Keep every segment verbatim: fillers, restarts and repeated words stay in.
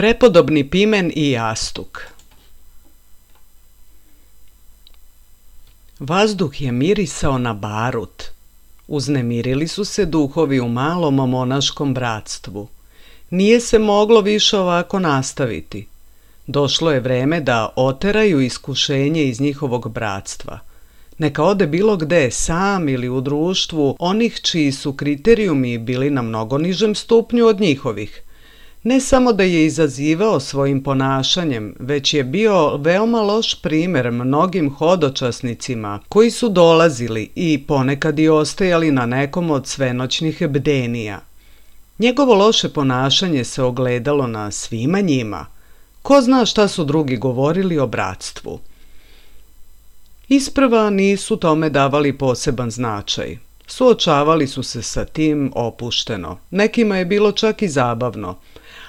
Prepodobni Pimen i jastuk. Vazduh je mirisao na barut. Uznemirili su se duhovi u malom monaškom bratstvu. Nije se moglo više ovako nastaviti. Došlo je vreme da oteraju iskušenje iz njihovog bratstva. Neka ode bilo gde, sam ili u društvu onih čiji su kriterijumi bili na mnogo nižem stupnju od njihovih. Ne samo da je izazivao svojim ponašanjem, već je bio veoma loš primjer mnogim hodočasnicima koji su dolazili i ponekad i ostajali na nekom od svenoćnih bdenija. Njegovo loše ponašanje se ogledalo na svima njima. Ko zna šta su drugi govorili o bratstvu. Isprva nisu tome davali poseban značaj. Suočavali su se sa tim opušteno. Nekima je bilo čak i zabavno.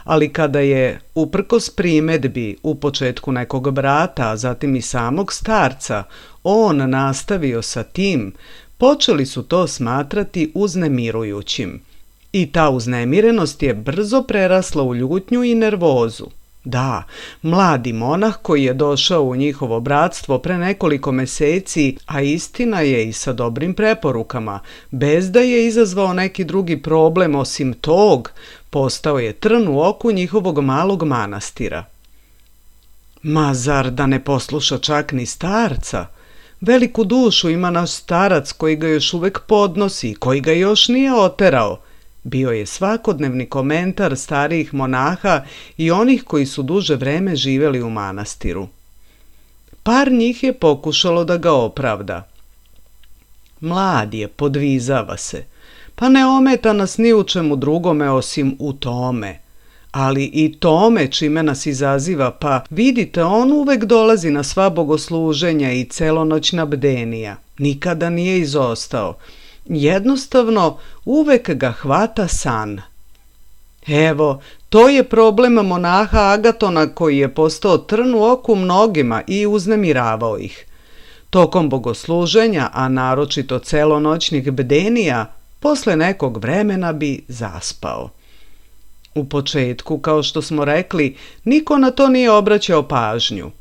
Ali kada je, uprkos primedbi u početku nekog brata, a zatim i samog starca, on nastavio sa tim, počeli su to smatrati uznemirujućim. I ta uznemirenost je brzo prerasla u ljutnju i nervozu. Da, mladi monah koji je došao u njihovo bratstvo pre nekoliko meseci, a istina je i sa dobrim preporukama, bez da je izazvao neki drugi problem osim tog, postao je trn u oku njihovog malog manastira. Ma zar da ne posluša čak ni starca? Veliku dušu ima naš starac koji ga još uvek podnosi i koji ga još nije oterao. Bio je svakodnevni komentar starijih monaha i onih koji su duže vreme živeli u manastiru. Par njih je pokušalo da ga opravda. Mlad je, podvizava se, pa ne ometa nas ni u čemu drugome osim u tome. Ali i tome čime nas izaziva, pa vidite, on uvek dolazi na sva bogosluženja i celonoćna bdenija. Nikada nije izostao. Jednostavno, uvek ga hvata san. Evo, to je problem monaha Agatona koji je postao trn u oku mnogima i uznemiravao ih. Tokom bogosluženja, a naročito celonoćnih bdenija, posle nekog vremena bi zaspao. U početku, kao što smo rekli, niko na to nije obraćao pažnju.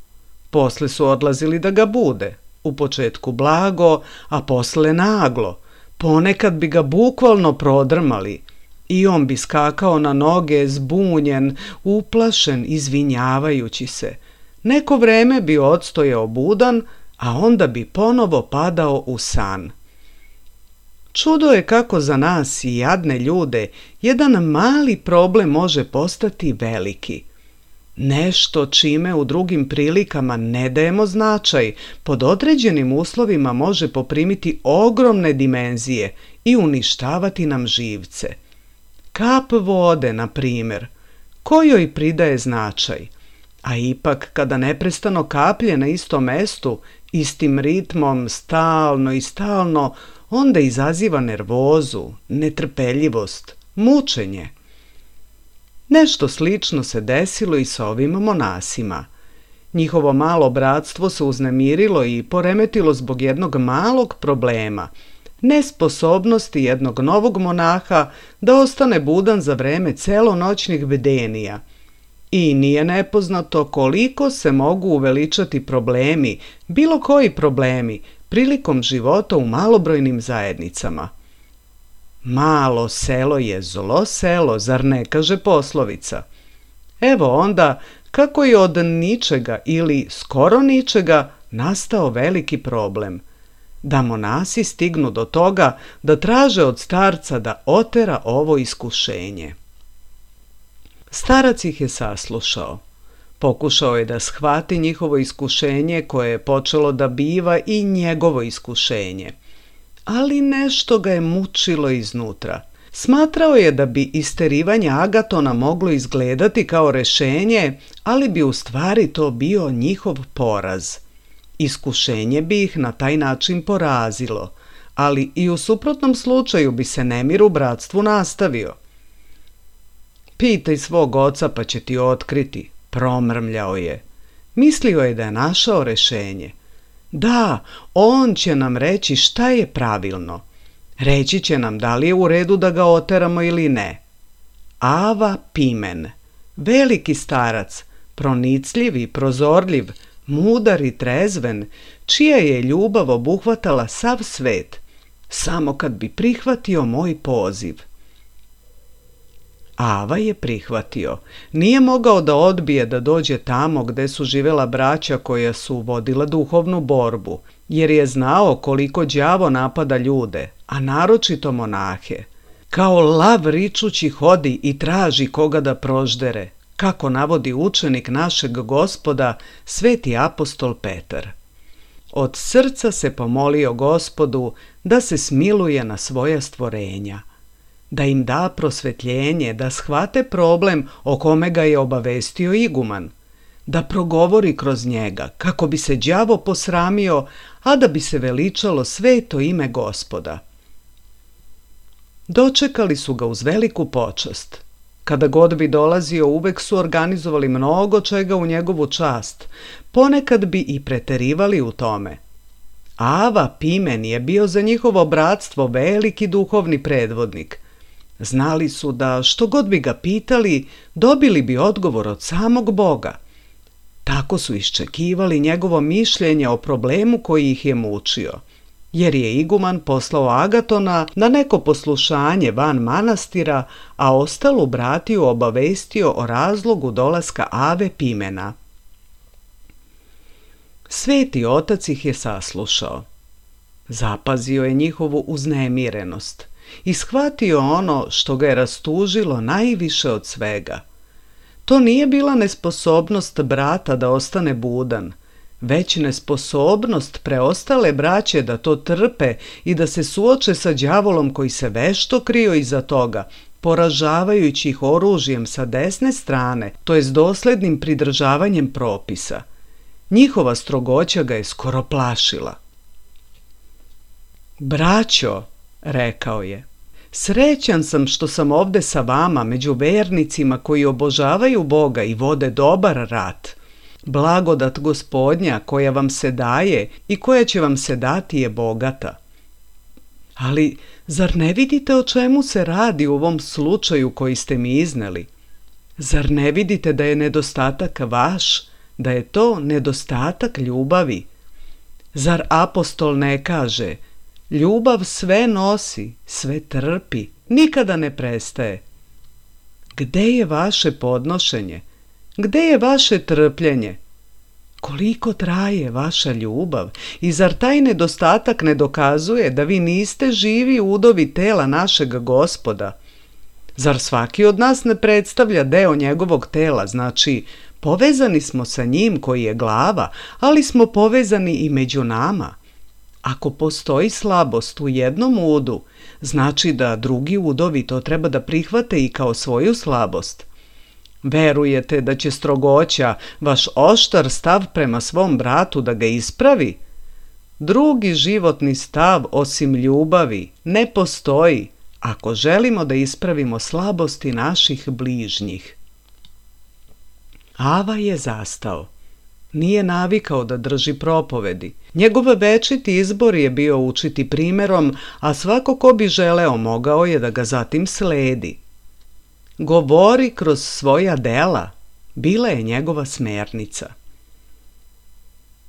Posle su odlazili da ga bude. U početku blago, a posle naglo. Ponekad bi ga bukvalno prodrmali i on bi skakao na noge, zbunjen, uplašen, izvinjavajući se. Neko vreme bi odstojao budan, a onda bi ponovo padao u san. Čudo je kako za nas i jadne ljude jedan mali problem može postati veliki. Nešto čime u drugim prilikama ne dajemo značaj, pod određenim uslovima može poprimiti ogromne dimenzije i uništavati nam živce. Kap vode, na primjer, kojoj pridaje značaj, a ipak kada neprestano kaplje na istom mestu, istim ritmom, stalno i stalno, onda izaziva nervozu, netrpeljivost, mučenje. Nešto slično se desilo i sa ovim monasima. Njihovo malo bratstvo se uznemirilo i poremetilo zbog jednog malog problema, nesposobnosti jednog novog monaha da ostane budan za vreme celonoćnih bdenija. I nije nepoznato koliko se mogu uveličati problemi, bilo koji problemi, prilikom života u malobrojnim zajednicama. Malo selo je zlo selo, zar ne kaže poslovica? Evo onda kako je od ničega ili skoro ničega nastao veliki problem. Da monasi stignu do toga da traže od starca da otera ovo iskušenje. Starac ih je saslušao. Pokušao je da shvati njihovo iskušenje koje je počelo da biva i njegovo iskušenje. Ali nešto ga je mučilo iznutra. Smatrao je da bi isterivanje Agatona moglo izgledati kao rešenje, ali bi u stvari to bio njihov poraz. Iskušenje bi ih na taj način porazilo, ali i u suprotnom slučaju bi se nemir u bratstvu nastavio. Pitaj svog oca pa će ti otkriti, promrmljao je. Mislio je da je našao rešenje. Da, on će nam reći šta je pravilno. Reći će nam da li je u redu da ga oteramo ili ne. Ava Pimen, Veliki starac, pronicljiv i prozorljiv, mudar i trezven, čija je ljubav obuhvatala sav svet, samo kad bi prihvatio moj poziv. Ava je prihvatio. Nije mogao da odbije da dođe tamo gde su živela braća koja su vodila duhovnu borbu, jer je znao koliko đavo napada ljude, a naročito monahe. Kao lav ričući hodi i traži koga da proždere, kako navodi učenik našeg Gospoda, sveti apostol Petar. Od srca se pomolio Gospodu da se smiluje na svoja stvorenja, da im da prosvetljenje, da shvate problem o kome ga je obavestio iguman, da progovori kroz njega, kako bi se đavo posramio, a da bi se veličalo sveto ime Gospoda. Dočekali su ga uz veliku počast. Kada god bi dolazio, uvek su organizovali mnogo čega u njegovu čast, ponekad bi i preterivali u tome. Ava Pimen je bio za njihovo bratstvo veliki duhovni predvodnik. Znali su da što god bi ga pitali, dobili bi odgovor od samog Boga. Tako su iščekivali njegovo mišljenje o problemu koji ih je mučio, jer je iguman poslao Agatona na neko poslušanje van manastira, a ostalu bratiju obavestio o razlogu dolaska Ave Pimena. Sveti otac ih je saslušao. Zapazio je njihovu uznemirenost i shvatio ono što ga je rastužilo najviše od svega. To nije bila nesposobnost brata da ostane budan, već nesposobnost preostale braće da to trpe i da se suoče sa đavolom koji se vešto krio iza toga, poražavajući ih oružjem sa desne strane, to jest doslednim pridržavanjem propisa. Njihova strogoća ga je skoro plašila. Braćo, rekao je, srećan sam što sam ovde sa vama među vernicima koji obožavaju Boga i vode dobar rat. Blagodat Gospodnja koja vam se daje i koja će vam se dati je bogata. Ali zar ne vidite o čemu se radi u ovom slučaju koji ste mi izneli? Zar ne vidite da je nedostatak vaš, da je to nedostatak ljubavi? Zar apostol ne kaže: ljubav sve nosi, sve trpi, nikada ne prestaje? Gde je vaše podnošenje? Gde je vaše trpljenje? Koliko traje vaša ljubav? I zar taj nedostatak ne dokazuje da vi niste živi udovi tela našeg Gospoda? Zar svaki od nas ne predstavlja deo njegovog tela, znači povezani smo sa njim koji je glava, ali smo povezani i među nama? Ako postoji slabost u jednom udu, znači da drugi udovi to treba da prihvate i kao svoju slabost. Verujete da će strogoća, vaš oštar stav prema svom bratu da ga ispravi? Drugi životni stav osim ljubavi ne postoji ako želimo da ispravimo slabosti naših bližnjih. Ava je zastao. Nije navikao da drži propovedi. Njegov večiti izbor je bio učiti primerom, a svako ko bi želeo mogao je da ga zatim sledi. Govori kroz svoja dela, bila je njegova smernica.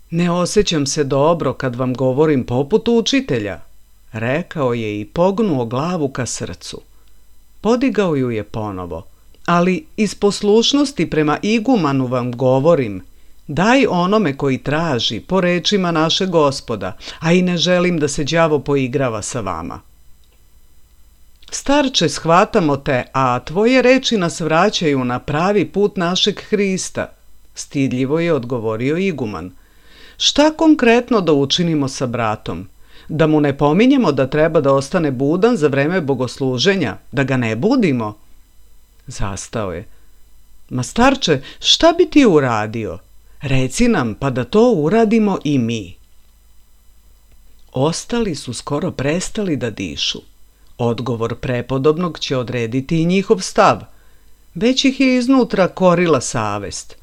Ne osjećam se dobro kad vam govorim poput učitelja, rekao je i pognuo glavu ka srcu. Podigao ju je ponovo, ali iz poslušnosti prema igumanu vam govorim: daj onome koji traži po rečima našeg Gospoda, a i ne želim da se đavo poigrava sa vama. Starče, shvatamo te, a tvoje reči nas vraćaju na pravi put našeg Hrista, stidljivo je odgovorio iguman. Šta konkretno da učinimo sa bratom? Da mu ne pominjemo da treba da ostane budan za vreme bogosluženja, da ga ne budimo? Zastao je. Ma starče, šta bi ti uradio? Reci nam, pa da to uradimo i mi. Ostali su skoro prestali da dišu. Odgovor prepodobnog će odrediti i njihov stav. Već ih je iznutra korila savest.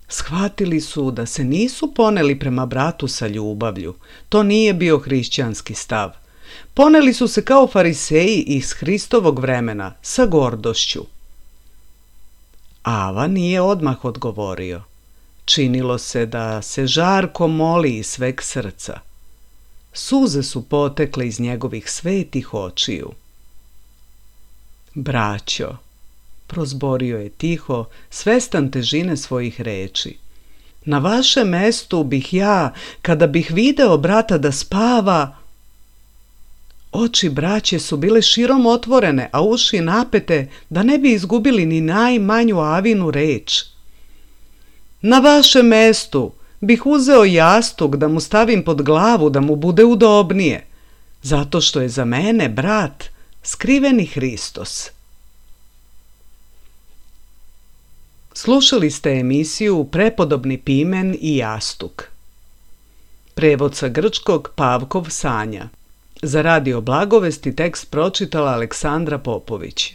Shvatili su da se nisu poneli prema bratu sa ljubavlju. To nije bio hrišćanski stav. Poneli su se kao fariseji iz Hristovog vremena, sa gordošću. Ava nije odmah odgovorio. Činilo se da se žarko moli iz sveg srca. Suze su potekle iz njegovih svetih očiju. Braćo, prozborio je tiho, svestan težine svojih reči. Na vašem mestu bih ja, kada bih video brata da spava... Oči braće su bile širom otvorene, a uši napete da ne bi izgubili ni najmanju Avinu reč. Na vašem mestu bih uzeo jastuk da mu stavim pod glavu da mu bude udobnije, zato što je za mene brat skriveni Hristos. Slušali ste emisiju Prepodobni pimen i jastuk. Prevod sa grčkog Pavkov Sanja. Za Radio Blagovesti tekst pročitala Aleksandra Popović.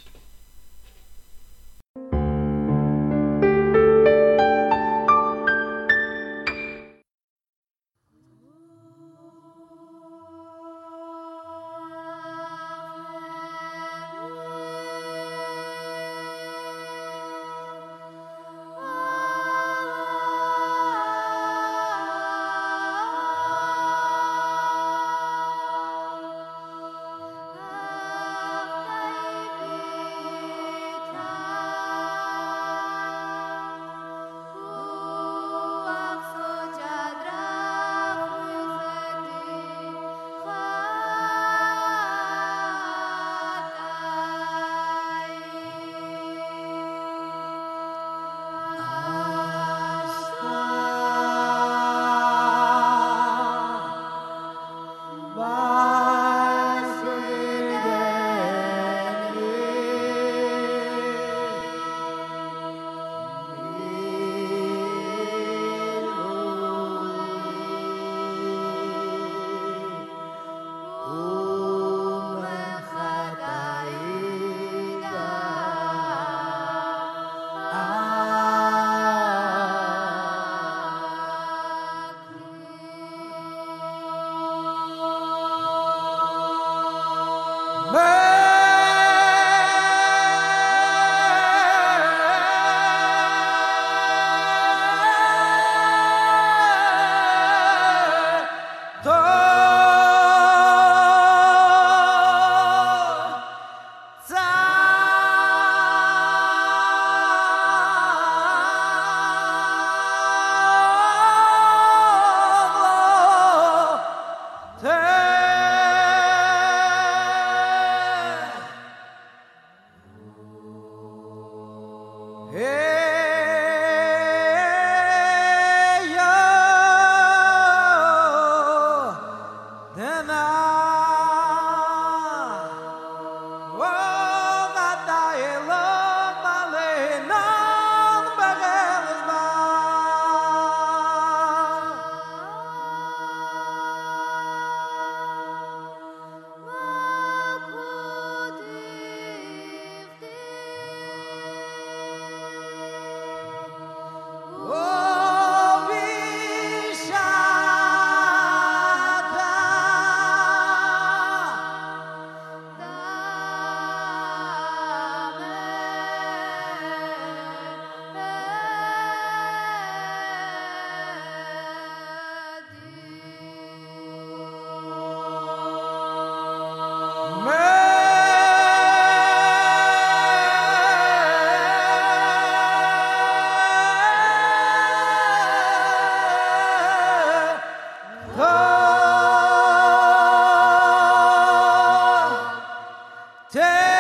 Take